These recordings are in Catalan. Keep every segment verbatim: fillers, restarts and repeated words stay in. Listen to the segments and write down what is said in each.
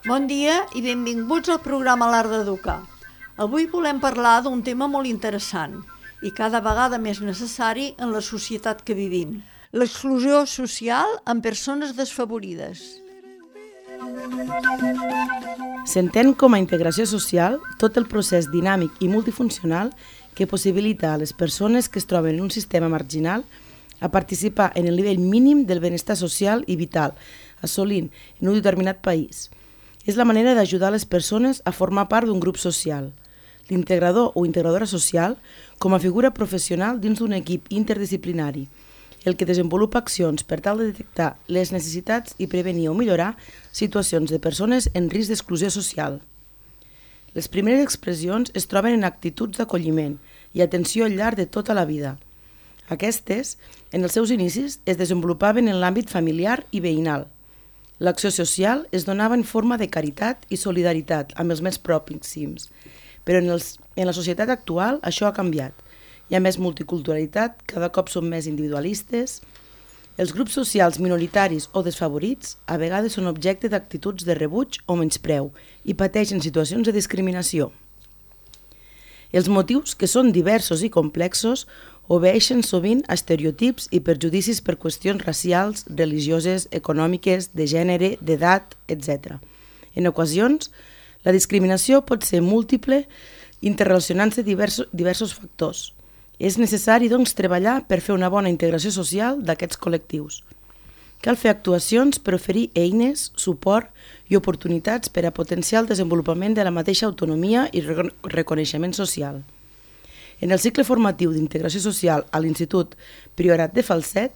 Bon dia i benvinguts al programa L'Art d'Educar. Avui volem parlar d'un tema molt interessant i cada vegada més necessari en la societat que vivim: l'exclusió social en persones desfavorides. S'entén com a integració social tot el procés dinàmic i multifuncional que possibilita a les persones que es troben en un sistema marginal a participar en el nivell mínim del benestar social i vital, assolint en un determinat país. És la manera d'ajudar les persones a formar part d'un grup social. L'integrador o integradora social com a figura professional dins d'un equip interdisciplinari, el que desenvolupa accions per tal de detectar les necessitats i prevenir o millorar situacions de persones en risc d'exclusió social. Les primeres expressions es troben en actituds d'acolliment i atenció al llarg de tota la vida. Aquestes, en els seus inicis, es desenvolupaven en l'àmbit familiar i veïnal. L'acció social es donava en forma de caritat i solidaritat amb els més pròxims, però en, els, en la societat actual això ha canviat. Hi ha més multiculturalitat, cada cop són més individualistes. Els grups socials minoritaris o desfavorits a vegades són objecte d'actituds de rebuig o menyspreu i pateixen situacions de discriminació. Els motius, que són diversos i complexos, obeeixen sovint a estereotips i perjudicis per qüestions racials, religioses, econòmiques, de gènere, d'edat, etcètera. En ocasions, la discriminació pot ser múltiple, interrelacionant-se diversos, diversos factors. És necessari, doncs, treballar per fer una bona integració social d'aquests col·lectius. Cal fer actuacions per oferir eines, suport i oportunitats per a potenciar el desenvolupament de la mateixa autonomia i reconeixement social. En el cicle formatiu d'integració social a l'Institut Priorat de Falset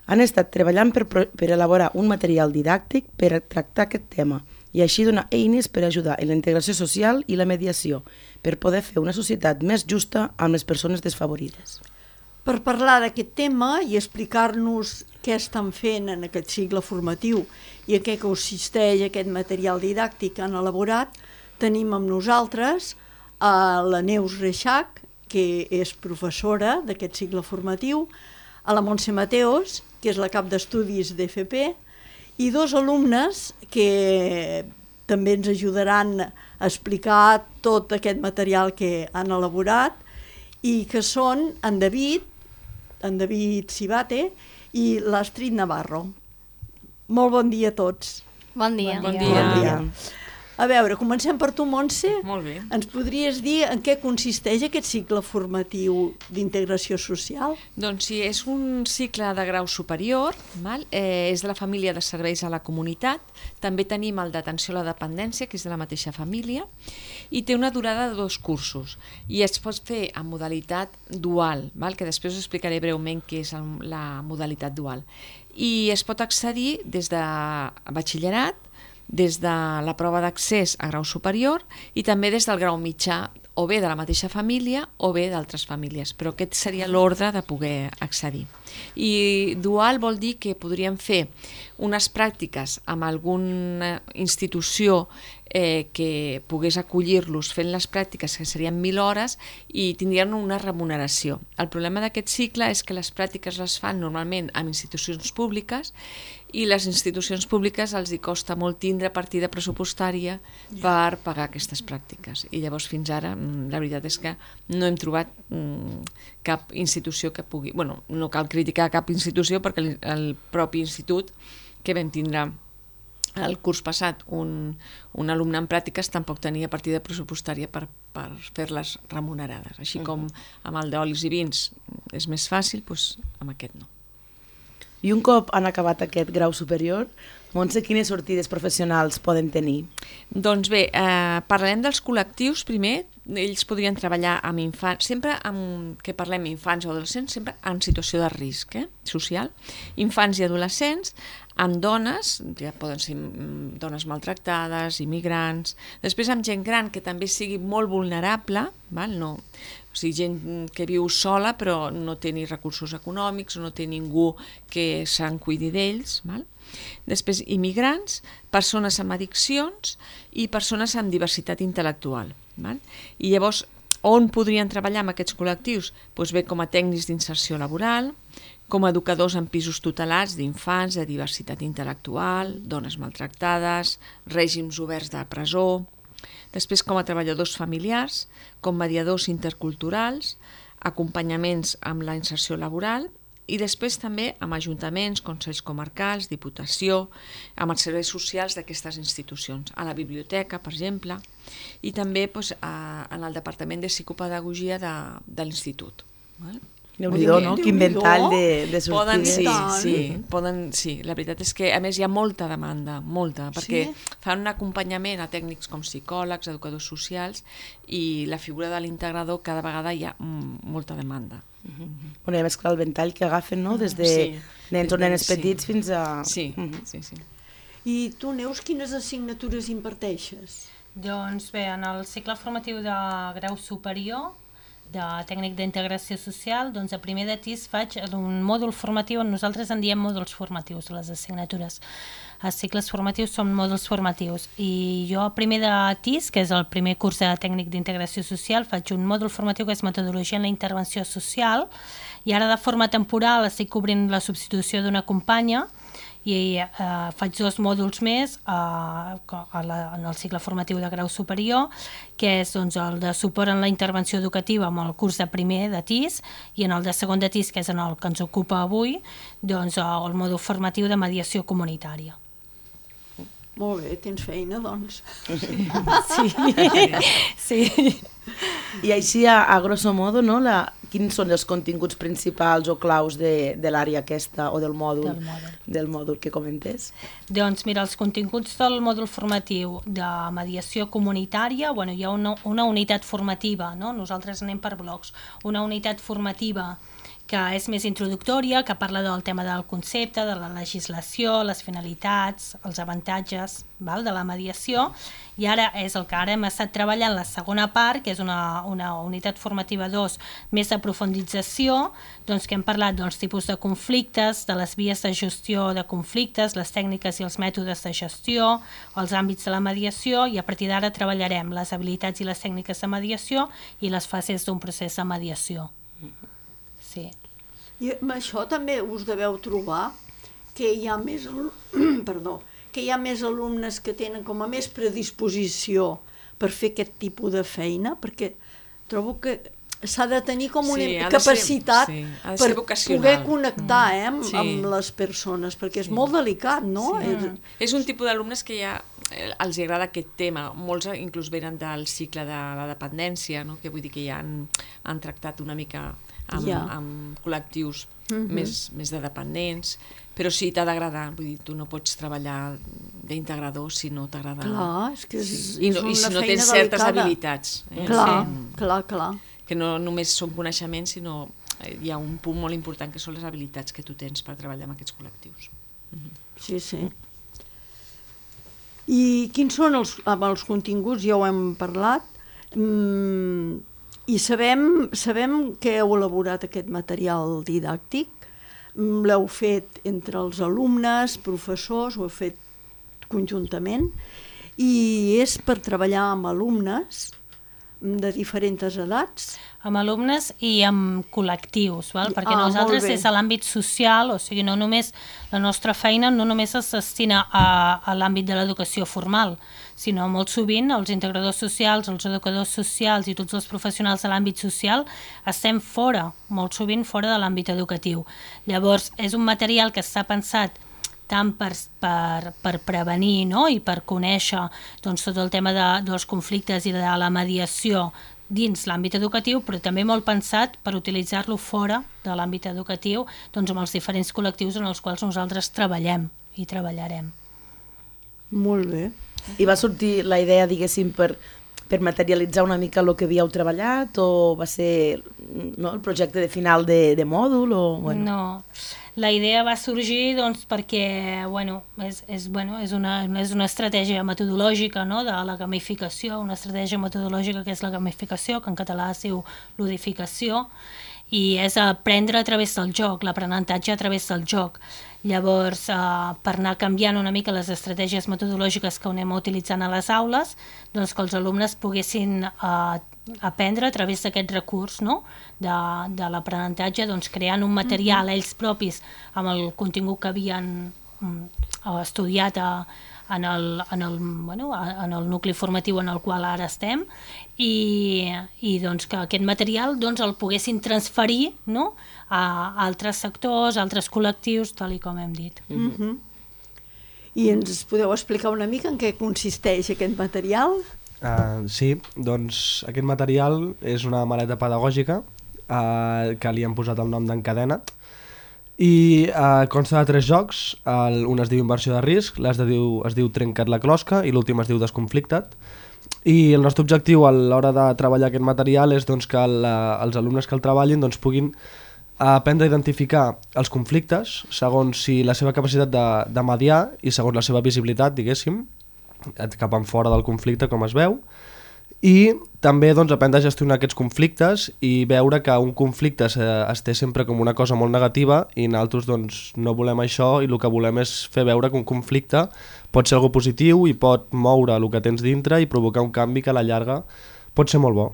han estat treballant per, per elaborar un material didàctic per a tractar aquest tema i així donar eines per ajudar en la integració social i la mediació, per poder fer una societat més justa amb les persones desfavorides. Per parlar d'aquest tema i explicar-nos què estan fent en aquest cicle formatiu i en què consisteix aquest material didàctic que han elaborat, tenim amb nosaltres a la Neus Reixach, que és professora d'aquest cicle formatiu, a la Montse Mateos, que és la cap d'estudis d'E F P, i dos alumnes que també ens ajudaran a explicar tot aquest material que han elaborat i que són en David, en David Cibate i l'Astrid Navarro. Molt bon dia a tots. Bon dia. Bon dia. Bon dia. A veure, comencem per tu, Montse. Molt bé. Ens podries dir en què consisteix aquest cicle formatiu d'integració social? Doncs sí, és un cicle de grau superior, val? Eh, és de la família de serveis a la comunitat, també tenim el d'atenció a la dependència, que és de la mateixa família, i té una durada de dos cursos, i es pot fer en modalitat dual, val? Que després us explicaré breument què és el, la modalitat dual. I es pot accedir des de batxillerat, des de la prova d'accés a grau superior i també des del grau mitjà, o bé de la mateixa família o bé d'altres famílies, però aquest seria l'ordre de poder accedir. I dual vol dir que podríem fer unes pràctiques amb alguna institució eh, que pogués acollir-los fent les pràctiques, que serien mil hores, i tindrien una remuneració. El problema d'aquest cicle és que les pràctiques les fan normalment amb institucions públiques i les institucions públiques els hi costa molt tindre partida pressupostària per pagar aquestes pràctiques. I llavors fins ara la veritat és que no hem trobat cap institució que pugui... Bueno, no cal criticar cap institució perquè el propi institut que vam tindre el curs passat un, un alumne en pràctiques tampoc tenia partida pressupostària per, per fer-les remunerades. Així com amb el d'olis i vins és més fàcil, doncs amb aquest no. I un cop han acabat aquest grau superior, Montse, quines sortides professionals poden tenir? Doncs bé, eh, parlarem dels col·lectius primer. Ells podrien treballar amb infants, sempre amb, que parlem infants o adolescents, sempre en situació de risc eh, social. Infants i adolescents, amb dones, ja poden ser dones maltractades, immigrants, després amb gent gran que també sigui molt vulnerable, val? No, o sigui, gent que viu sola però no té ni recursos econòmics o no té ningú que se'n cuidi d'ells, val? Després immigrants, persones amb addiccions i persones amb diversitat intel·lectual. Val? I llavors, on podrien treballar amb aquests col·lectius? Doncs bé, com a tècnics d'inserció laboral, com a educadors en pisos tutelats d'infants, de diversitat intel·lectual, dones maltractades, règims oberts de presó, després com a treballadors familiars, com mediadors interculturals, acompanyaments amb la inserció laboral i després també amb ajuntaments, consells comarcals, diputació, amb els serveis socials d'aquestes institucions, a la biblioteca, per exemple, i també doncs, a, en el Departament de Psicopedagogia de, de l'Institut. Déu-n'hi-do, no? Quin ventall de, de sortides. Poden, sí, sí, poden, sí, la veritat és que a més hi ha molta demanda, molta, perquè sí? fan un acompanyament a tècnics com psicòlegs, educadors socials, i la figura de l'integrador cada vegada hi ha molta demanda. Uh-huh. Bueno, i a més clar, el ventall que agafen, no? Des de sí, nens o nenes sí. petits fins a... Sí, uh-huh. sí, sí. I tu, Neus, quines assignatures imparteixes? Doncs bé, en el cicle formatiu de grau superior de tècnic d'integració social, doncs a primer de T I S faig un mòdul formatiu, nosaltres en diem mòduls formatius, les assignatures. Els cicles formatius són mòduls formatius i jo a primer de T I S, que és el primer curs de tècnic d'integració social, faig un mòdul formatiu que és metodologia en la intervenció social i ara de forma temporal estic cobrint la substitució d'una companya i eh, faig dos mòduls més eh, a la, en el cicle formatiu de grau superior, que és doncs, el de suport en la intervenció educativa amb el curs de primer de T I S i en el de segon de T I S, que és en el que ens ocupa avui, doncs, el mòdul formatiu de mediació comunitària. Molt bé, tens feina, doncs. Sí, sí. I així, a, a grosso modo, no, la, quins són els continguts principals o claus de, de l'àrea aquesta o del mòdul, del mòdul del mòdul que comentes? Doncs mira, els continguts del mòdul formatiu de mediació comunitària, bueno, hi ha una, una unitat formativa, no? Nosaltres anem per blocs, una unitat formativa que és més introductòria, que parla del tema del concepte, de la legislació, les finalitats, els avantatges, val, de la mediació, i ara és el que ara hem estat treballant la segona part, que és una, una unitat formativa dos, més de profundització, doncs que hem parlat dels tipus de conflictes, de les vies de gestió de conflictes, les tècniques i els mètodes de gestió, els àmbits de la mediació, i a partir d'ara treballarem les habilitats i les tècniques de mediació i les fases d'un procés de mediació. Sí. I amb això també us deveu trobar que hi ha més, perdó, que hi ha més alumnes que tenen com a més predisposició per fer aquest tipus de feina, perquè trobo que s'ha de tenir com una sí, capacitat ser, sí, per poder connectar eh, amb, sí. amb les persones, perquè és sí. molt delicat, no? Sí. És... és un tipus d'alumnes que ja els agrada aquest tema. Molts inclús venen del cicle de la dependència, no? Que vull dir que ja han, han tractat una mica amb, ja. amb col·lectius uh-huh. més, més de dependents, però sí, t'ha d'agradar, vull dir, tu no pots treballar d'integrador si no t'agrada. Clar, és que és, sí. I, no, és una i si no feina tens delicada. certes habilitats. Eh? Clar, sí. clar, clar. Que no només són coneixements, sinó hi ha un punt molt important que són les habilitats que tu tens per treballar amb aquests col·lectius. Uh-huh. Sí, sí. I quins són els, amb els continguts? Ja ho hem parlat. Mm, I sabem, sabem que heu elaborat aquest material didàctic. L'heu fet entre els alumnes, professors, ho heu fet conjuntament. I és per treballar amb alumnes de diferents edats. Amb alumnes i amb col·lectius, val? Perquè ah, nosaltres des de l'àmbit social, o sigui, no només la nostra feina no només es destina a, a l'àmbit de l'educació formal, sinó molt sovint els integradors socials, els educadors socials i tots els professionals de l'àmbit social estem fora, molt sovint fora de l'àmbit educatiu. Llavors, és un material que està pensat tant per, per, per prevenir, no? I per conèixer doncs, tot el tema de, dels conflictes i de la mediació dins l'àmbit educatiu, però també molt pensat per utilitzar-lo fora de l'àmbit educatiu, doncs amb els diferents col·lectius en els quals nosaltres treballem i treballarem. Molt bé. I va sortir la idea, diguéssim, per, per materialitzar una mica el que havíeu treballat, o va ser no, el projecte de final de, de mòdul? O, bueno. No, la idea va sorgir doncs, perquè bueno, és, és, bueno, és, una, és una estratègia metodològica, no? De la gamificació, una estratègia metodològica que és la gamificació, que en català es diu ludificació, i és aprendre a través del joc, l'aprenentatge a través del joc. Llavors, eh, per anar canviant una mica les estratègies metodològiques que anem utilitzant a les aules, doncs que els alumnes poguessin eh, aprendre a través d'aquest recurs, no? de, de l'aprenentatge, doncs, creant un material mm-hmm. ells propis amb el contingut que havien mm, estudiat a, en, el, en, el, bueno, en el nucli formatiu en el qual ara estem i, i doncs, que aquest material doncs, el poguessin transferir, no? A altres sectors, a altres col·lectius, tal i com hem dit. Mm-hmm. I ens podeu explicar una mica en què consisteix aquest material? Uh, sí, doncs aquest material és una maleta pedagògica uh, que li han posat el nom d'Encadena't i uh, consta de tres jocs. El, un es diu Inversió de risc, l'altre diu, es diu Trenca't la closca i l'últim es diu Desconflicta't. I el nostre objectiu a l'hora de treballar aquest material és doncs, que la, els alumnes que el treballin doncs, puguin aprendre a identificar els conflictes segons si la seva capacitat de, de mediar i segons la seva visibilitat, diguéssim, cap en fora del conflicte, com es veu, i també doncs, aprendre a gestionar aquests conflictes i veure que un conflicte es, es té sempre com una cosa molt negativa i nosaltres doncs, no volem això i el que volem és fer veure que un conflicte pot ser algo positiu i pot moure el que tens dintre i provocar un canvi que a la llarga pot ser molt bo.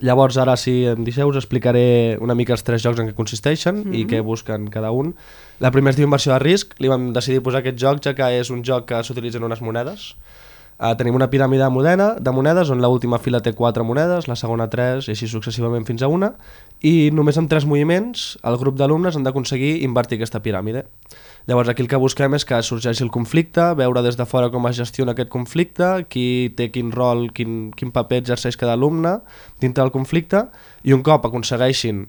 Llavors ara, si em deixeu, us explicaré una mica els tres jocs en què consisteixen mm-hmm. i què busquen cada un. La primera es diu Inversió de risc, li vam decidir posar aquest joc ja que és un joc que s'utilitzen unes monedes. Uh, tenim una piràmide de, moneda, de monedes on l'última fila té quatre monedes, la segona tres i així successivament fins a una, i només amb tres moviments el grup d'alumnes han d'aconseguir invertir aquesta piràmide. Llavors aquí el que busquem és que sorgeixi el conflicte, veure des de fora com es gestiona aquest conflicte, qui té quin rol, quin, quin paper exerceix cada alumne dintre del conflicte, i un cop aconsegueixin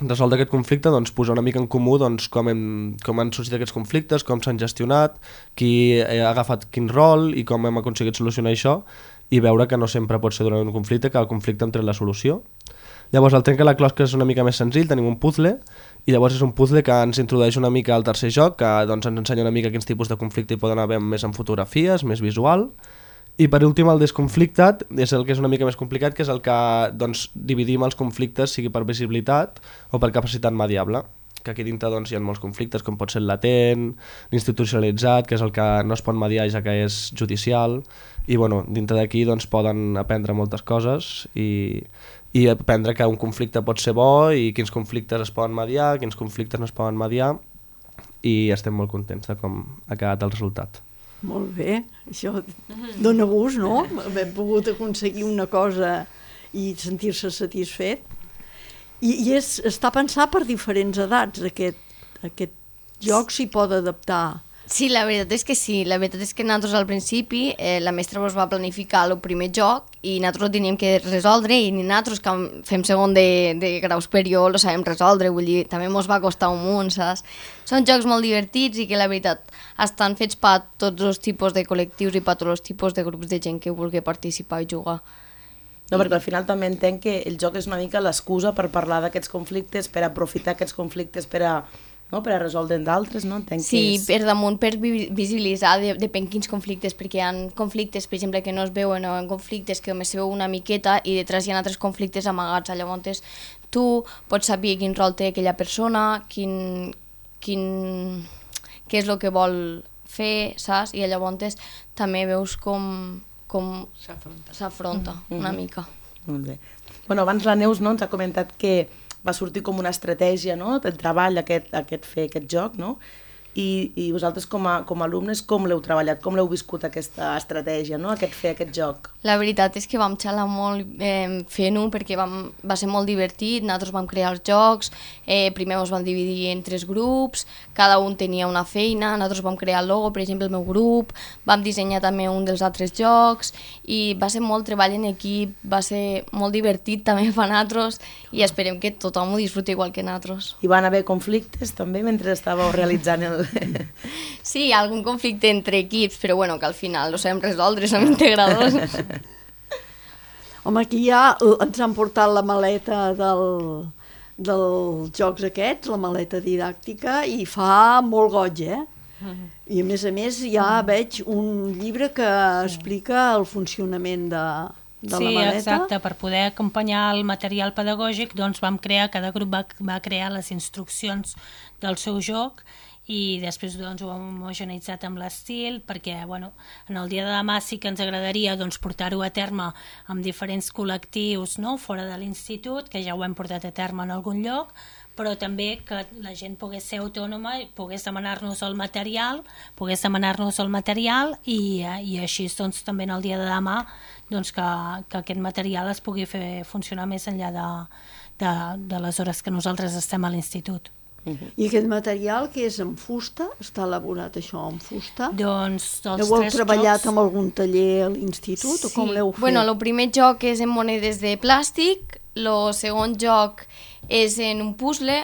resoldre aquest conflicte, doncs, posar una mica en comú doncs, com, hem, com han sorgit aquests conflictes, com s'han gestionat, qui ha agafat quin rol i com hem aconseguit solucionar això i veure que no sempre pot ser durant un conflicte, que el conflicte hem tret la solució. Llavors el Trenca la closca és una mica més senzill, tenim un puzzle i llavors és un puzzle que ens introdueix una mica al tercer joc, que doncs, ens ensenya una mica quins tipus de conflicte hi poden haver més en fotografies, més visual. I per últim el Desconflicta't és el que és una mica més complicat, que és el que doncs, dividim els conflictes, sigui per visibilitat o per capacitat mediable, que aquí dintre doncs, hi ha molts conflictes, com pot ser el latent, l'institucionalitzat, que és el que no es pot mediar ja que és judicial, i bueno, dintre d'aquí doncs, poden aprendre moltes coses i, i aprendre que un conflicte pot ser bo i quins conflictes es poden mediar, quins conflictes no es poden mediar, i estem molt contents de com ha quedat el resultat. Molt bé, això dona gust, no? Haver pogut aconseguir una cosa i sentir-se satisfet. I, i és, està pensat per diferents edats, aquest, aquest joc s'hi pot adaptar. Sí, la veritat és que sí. La veritat és que nosaltres al principi eh, la mestra ens va planificar el primer joc i nosaltres ho teníem que resoldre i ni nosaltres que fem segon de, de grau superior ho sabem resoldre, vull dir, també ens va costar un munt, saps? Són jocs molt divertits i que la veritat estan fets per tots els tipus de col·lectius i per tots els tipus de grups de gent que vulgui participar i jugar. No, perquè al final també entenc que el joc és una mica l'excusa per parlar d'aquests conflictes, per aprofitar aquests conflictes per a no? Per a resoldre'n d'altres, no? Entenc sí, que és... per damunt, per visibilitzar, de, depèn quins conflictes, perquè hi ha conflictes, per exemple, que no es veuen, o conflictes que només se veu una miqueta i detrás hi ha altres conflictes amagats. Llavors tu pots saber quin rol té aquella persona, quin, quin, què és el que vol fer, saps? I llavors també veus com, com s'afronta mm-hmm. una mica. Molt bé. Bueno, abans la Neus no, ens ha comentat que va sortir com una estratègia, no?, de treball aquest, aquest fer aquest joc, no? I, i vosaltres com a, com a alumnes com l'heu treballat, com l'heu viscut aquesta estratègia, no?, aquest fer aquest joc? La veritat és que vam xalar molt eh, fent-ho perquè vam, va ser molt divertit, nosaltres vam crear els jocs, eh, primer ens vam dividir en tres grups, cada un tenia una feina, nosaltres vam crear el logo, per exemple el meu grup, vam dissenyar també un dels altres jocs i va ser molt treball en equip, va ser molt divertit també per nosaltres i esperem que tothom ho disfruti igual que nosaltres. Hi van haver conflictes també mentre estàveu realitzant el... Sí, hi ha algun conflicte entre equips, però bueno, que al final ho sabem resoldre, som integradors. Home, aquí ja ens han portat la maleta del, dels jocs aquests, la maleta didàctica, i fa molt goig, eh? I a més a més ja veig un llibre que explica el funcionament de, de sí, la maleta. Sí, exacte, per poder acompanyar el material pedagògic doncs vam crear, cada grup va, va crear les instruccions del seu joc i després doncs, ho hem homogeneitzat amb l'estil, perquè bueno, en el dia de demà sí que ens agradaria doncs, portar-ho a terme amb diferents col·lectius, no?, fora de l'institut, que ja ho hem portat a terme en algun lloc, però també que la gent pogués ser autònoma i pogués demanar-nos el material, pogués demanar-nos el material i, i així doncs, també en el dia de demà doncs, que, que aquest material es pugui fer funcionar més enllà de, de, de les hores que nosaltres estem a l'institut. Uh-huh. I aquest material, que és en fusta, està elaborat això en fusta? Doncs els heu tres treballat jocs... amb algun taller a l'institut sí. o com l'heu fet? Bueno, el primer joc és en monedes de plàstic, el segon joc és en un puzzle,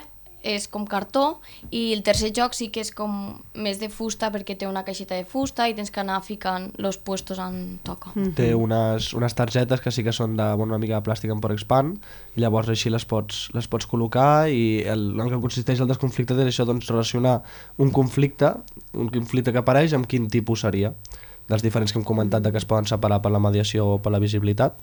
és com cartó, i el tercer joc sí que és com més de fusta perquè té una caixeta de fusta i tens que anar ficant els puestos on toca. Mm-hmm. Té unes, unes targetes que sí que són de, bueno, una mica de plàstic en Porexpan i llavors així les pots, les pots col·locar i el, el que consisteix el desconflicte és això, doncs, relacionar un conflicte, un conflicte que apareix amb quin tipus seria, dels diferents que hem comentat de que es poden separar per la mediació o per la visibilitat.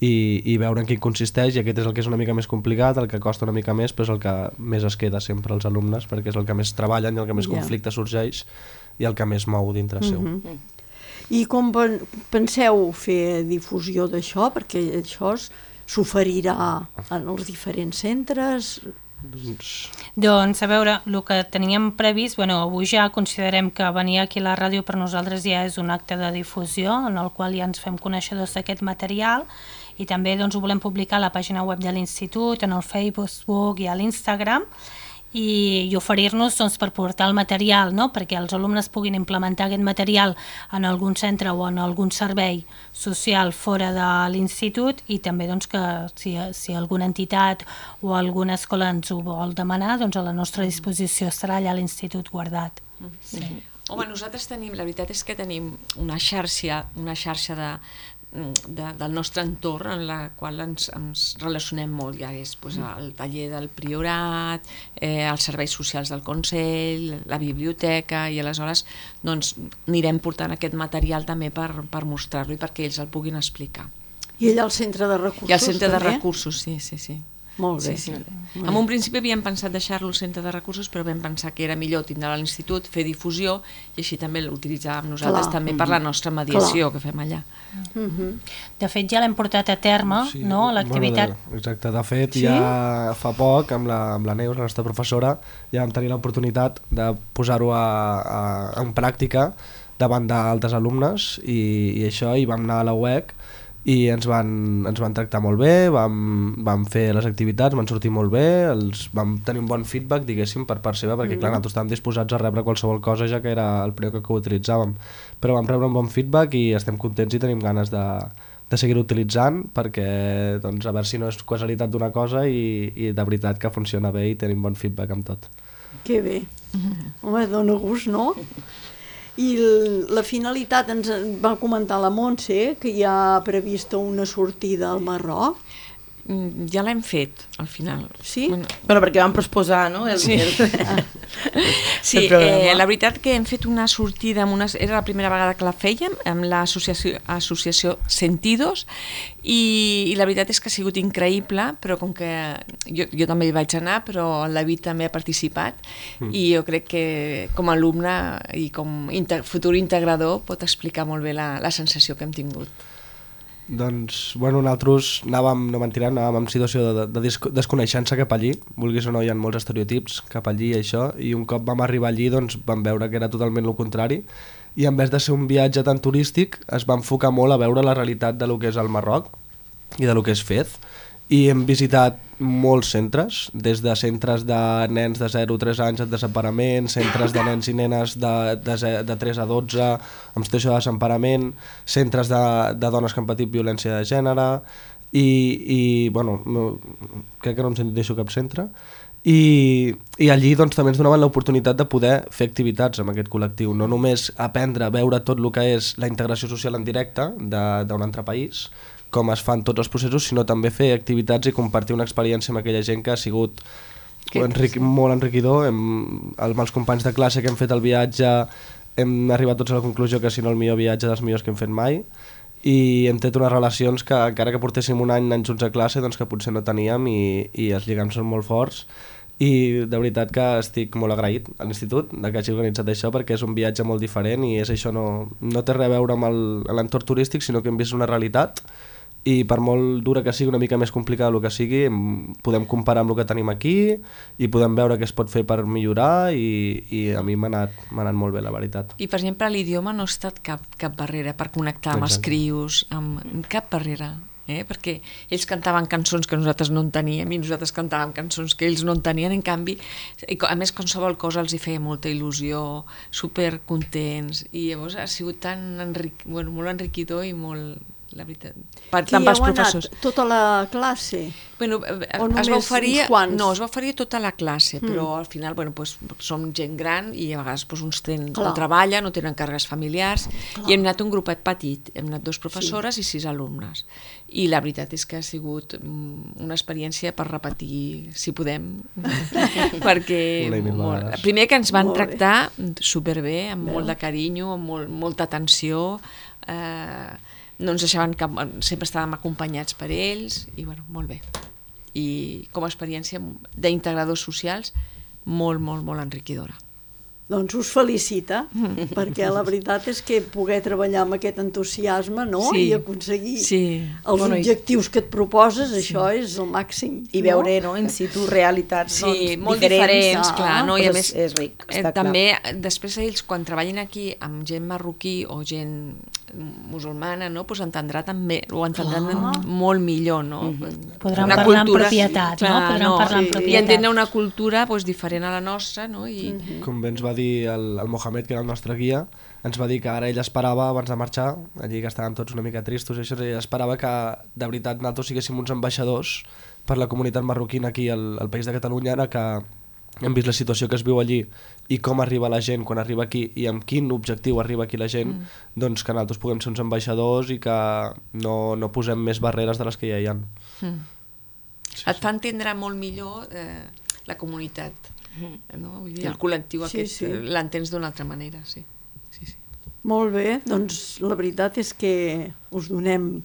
I, i veure en quin consisteix, i aquest és el que és una mica més complicat, el que costa una mica més, però és el que més es queda sempre als alumnes, perquè és el que més treballen i el que més yeah. conflicte sorgeix i el que més mou dintre seu. Mm-hmm. I com penseu fer difusió d'això? Perquè això s'oferirà en els diferents centres... Doncs... doncs, a veure, el que teníem previst, bueno, avui ja considerem que venir aquí a la ràdio per nosaltres ja és un acte de difusió en el qual ja ens fem coneixedors d'aquest material i també doncs, ho volem publicar a la pàgina web de l'Institut, en el Facebook i a l'Instagram i, i oferir-nos doncs, per portar el material, no?, perquè els alumnes puguin implementar aquest material en algun centre o en algun servei social fora de l'institut i també doncs, que si, si alguna entitat o alguna escola ens ho vol demanar, doncs a la nostra disposició estarà allà a l'institut guardat. Sí. Home, nosaltres tenim, la veritat és que tenim una xarxa, una xarxa de, de, del nostre entorn en la qual ens, ens relacionem molt, ja és pues, el taller del Priorat, eh, els serveis socials del Consell, la biblioteca, i aleshores doncs, anirem portant aquest material també per, per mostrar-lo i perquè ells el puguin explicar. I allà al centre de recursos I al centre també? de recursos, sí, sí, sí. Molt bé. Sí, sí. En un principi havíem pensat deixar-lo al centre de recursos, però vam pensar que era millor tindre-lo a l'institut, fer difusió, i així també l'utilitzàvem nosaltres Clar. també per la nostra mediació Clar. que fem allà. Uh-huh. De fet, ja l'hem portat a terme, sí. no?, l'activitat. Bueno, exacte, de fet, sí? ja fa poc, amb la, amb la Neus, la nostra professora, ja vam tenir l'oportunitat de posar-ho a, a, en pràctica davant d'altres alumnes, i, i això, i vam anar a la U E C, i ens van, ens van tractar molt bé, vam, vam fer les activitats, van sortir molt bé, els, vam tenir un bon feedback, diguéssim, per part seva, perquè mm. clar, nosaltres estàvem disposats a rebre qualsevol cosa, ja que era el primer que, que utilitzàvem, però vam rebre un bon feedback i estem contents i tenim ganes de, de seguir utilitzant, perquè doncs, a veure si no és casualitat d'una cosa i, i de veritat que funciona bé i tenim bon feedback amb tot. Que bé. Mm. Home, dona gust, no? I la finalitat, ens va comentar la Montse, que hi ha prevista una sortida al Marroc. Ja l'hem fet, al final. Sí? Bueno, bueno perquè vam proposar, no? El, sí, el, sí el eh, la veritat que hem fet una sortida, amb una, era la primera vegada que la fèiem, amb l'associació associació Sentidos, i, i la veritat és que ha sigut increïble, però com que jo, jo també hi vaig anar, però el David també ha participat, mm. i jo crec que com a alumne i com inter, futur integrador pot explicar molt bé la, la sensació que hem tingut. Doncs, bueno, nosaltres anàvem, no mentirem, anàvem en situació de, de desconeixença cap allí, vulguis o no, hi ha molts estereotips cap allí i això, i un cop vam arribar allí doncs vam veure que era totalment el contrari, i en vez de ser un viatge tan turístic es va enfocar molt a veure la realitat de lo que és el Marroc i de lo que és Fez, i hem visitat molts centres, des de centres de nens de zero a tres anys en desemparament, centres de nens i nenes de, de, de tres a dotze en situació de desemparament, centres de, de dones que han patit violència de gènere, i, i bueno, no, crec que no em deixo cap centre, i, i allí doncs, també ens donaven l'oportunitat de poder fer activitats amb aquest col·lectiu, no només aprendre a veure tot el que és la integració social en directe d'un altre país, com es fan tots els processos, sinó també fer activitats i compartir una experiència amb aquella gent que ha sigut enric molt enriquidor. Hem, amb els companys de classe que hem fet el viatge hem arribat tots a la conclusió que si no el millor viatge dels millors que hem fet mai, i hem tret unes relacions que encara que portéssim un any anys junts a classe doncs que potser no teníem, i, i els lligams són molt forts, i de veritat que estic molt agraït a l'institut de que hagi organitzat això, perquè és un viatge molt diferent i és això, no, no té res a veure amb el- l'entorn turístic, sinó que hem vist una realitat i per molt dura que sigui, una mica més complicada el que sigui, em- podem comparar amb el que tenim aquí i podem veure què es pot fer per millorar i, i a mi m'ha anat, m'ha anat molt bé, la veritat. I, per exemple, l'idioma no ha estat cap, cap barrera per connectar amb els Exacte. crios, amb cap barrera. Eh? Perquè ells cantaven cançons que nosaltres no enteníem i nosaltres cantàvem cançons que ells no entenien, en canvi, i co- a més qualsevol cosa els hi feia molta il·lusió, super contents, i llavors ha sigut tan enric... bueno, molt enriquidor i molt, la veritat, per, Qui tant heu pels anat? professors. Tota la classe? Bueno, eh, O es va només oferir, uns quants? no, es va oferir tota la classe, però al final, bueno, pues, som gent gran i a vegades pues, uns ten, Clar. no treballen, no tenen càrregues familiars, i hem anat un grupet petit, hem anat dos professores i sis alumnes. I la veritat és que ha sigut mm, una experiència per repetir, si podem, perquè Una i mil molt, vegades. primer que ens van Molt bé. tractar superbé, amb molt de carinyo, amb molt, molta atenció, eh, no ens deixaven cap, sempre estàvem acompanyats per ells i bueno, molt bé, i com a experiència d'integradors socials molt, molt, molt enriquidora. Doncs us felicita, perquè la veritat és que poder treballar amb aquest entusiasme, no? Sí. I aconseguir Sí. els Bueno, i- objectius que et proposes, això és el màxim. I veure, no, in situ realitats Sí, doncs, molt diferents, diferents, ah, clar, no? I a però més, és, és ric, eh, està també, després ells, quan treballin aquí amb gent marroquí o gent musulmana, no? Pues entendrà també, ho entendran molt millor, no? Podran Una parlar amb cultura- propietat, no? clar, Podran parlar amb sí. propietat. I entendre una cultura pues, diferent a la nostra, no? I, Com bé ens va dir el, el Mohamed, que era el nostre guia, ens va dir que ara ell esperava, abans de marxar, allí que estaven tots una mica tristos, i això, ell esperava que de veritat nosaltres siguéssim uns ambaixadors per la comunitat marroquina aquí al, al País de Catalunya, ara que hem vist la situació que es viu allí i com arriba la gent quan arriba aquí i amb quin objectiu arriba aquí la gent, mm. doncs que nosaltres puguem ser uns ambaixadors i que no, no posem més barreres de les que ja hi ha. Mm. Sí, et fa entendre molt millor eh, la comunitat, no? Vull dir, el col·lectiu Sí, aquest, sí. eh, l'entens d'una altra manera, sí. Sí, sí. Molt bé, doncs la veritat és que us donem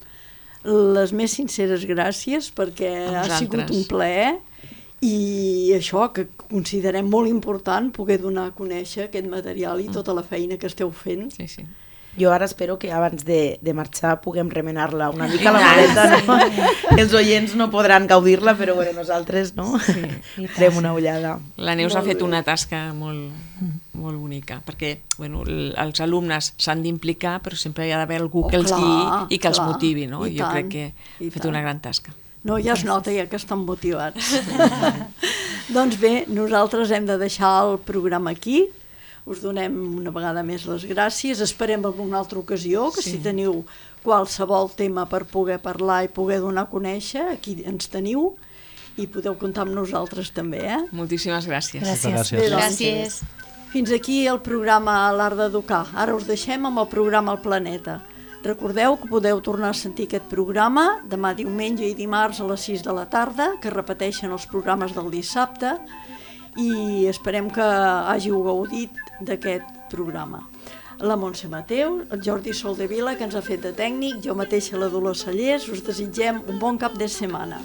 les més sinceres gràcies perquè A ha sigut vosaltres. un plaer i això que considerem molt important poder donar a conèixer aquest material i tota la feina que esteu fent. Sí, sí. Jo ara espero que abans de, de marxar puguem remenar-la una mica a la maleta, no? Els oients no podran gaudir-la, però bueno, nosaltres, no? i tant. Farem una ullada. La Neus Molt ha fet bé. una tasca molt, molt bonica, perquè bueno, l- els alumnes s'han d'implicar, però sempre hi ha d'haver algú Oh, que els clar, guiï i que els clar. motivi, no? I Jo tant, crec que i ha fet tant. una gran tasca. No, ja es nota ja que estan motivats. Doncs bé, nosaltres hem de deixar el programa aquí. Us donem una vegada més les gràcies. Esperem en una altra ocasió, que Sí. si teniu qualsevol tema per poder parlar i poder donar a conèixer, aquí ens teniu i podeu comptar amb nosaltres també, eh? Moltíssimes gràcies. Gràcies. Gràcies. Bé, doncs, Gràcies. Fins aquí el programa L'Art d'Educar. Ara us deixem amb el programa El Planeta. Recordeu que podeu tornar a sentir aquest programa demà diumenge i dimarts a les sis de la tarda, que repeteixen els programes del dissabte, i esperem que hàgiu gaudit d'aquest programa. La Montse Mateu, el Jordi Soldevila, que ens ha fet de tècnic, jo mateixa la Dolors Cellers, us desitgem un bon cap de setmana.